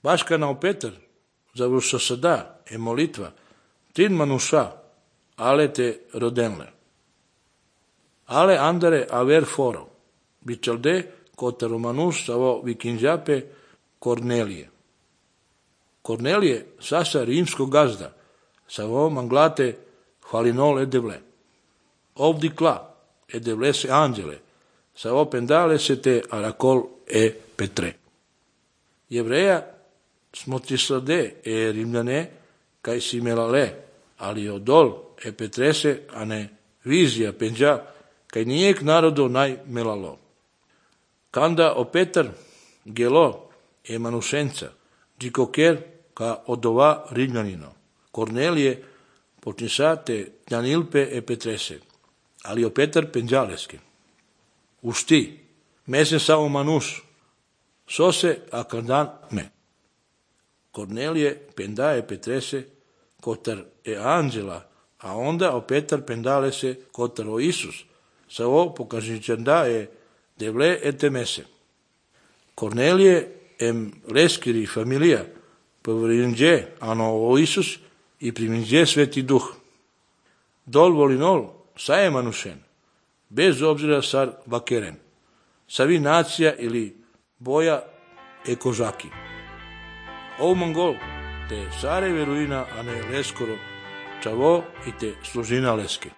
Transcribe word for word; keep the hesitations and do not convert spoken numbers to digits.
Вашкана Петър, завърша съда е молитва, трин мануша, але те роденле. Але андере авер форо, бичалде кота романуш саво викинджапе Корнелije. Корнелije саса римско газда, саво манглате хвалинол едевле. Овди кла, едевле се анджеле, саво пендале се те аракол е Петре. Еврея смотрисладе е римляне, кай си мелале, али одол е Петресе, а не визия пенджа, кай ниек народо най мелало. Канда о Петър гело е манушенца, джикокер ка одова римлянино. Корнелije почнисате тянилпе е Петресе, али о Петър пенджалеске. Ушти, месен само мануш, сосе акадан ме. Корнелije penda je Petrese, kotar je anđela, a onda o Petar pendale se kotar o Isus, sa ovo pokažičanda je devle etemese. Kornelije em leskiri familija, povrinđe ano o Isus i priminđe sveti duh. Dol volinol saje manušen, bez obzira sar bakeren, savi nacija ili boja e kožaki. Ovo mongol, te sare veruina, a ne leskoro, čavo i te služina leske.